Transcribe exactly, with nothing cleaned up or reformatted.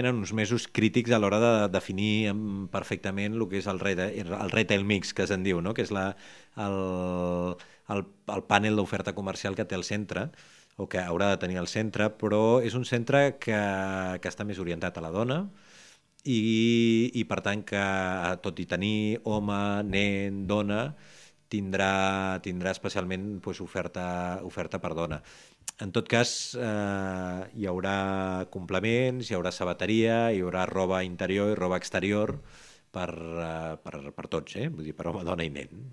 en uns mesos crítics a l'hora de definir perfectament el que és el retail, el retail mix, que se'n diu, no? Que és la, el, el, el panel d'oferta comercial que té el centre, o que haurà de tenir el centre, però és un centre que, que està més orientat a la dona i, i per tant que, tot i tenir home, nen, dona, tindrà, tindrà especialment pues, oferta, oferta per dona. En tot cas, eh, hi haurà complements, hi haurà sabateria, hi haurà roba interior i roba exterior per, eh, per, per tots, eh? Vull dir, per home, dona i nen.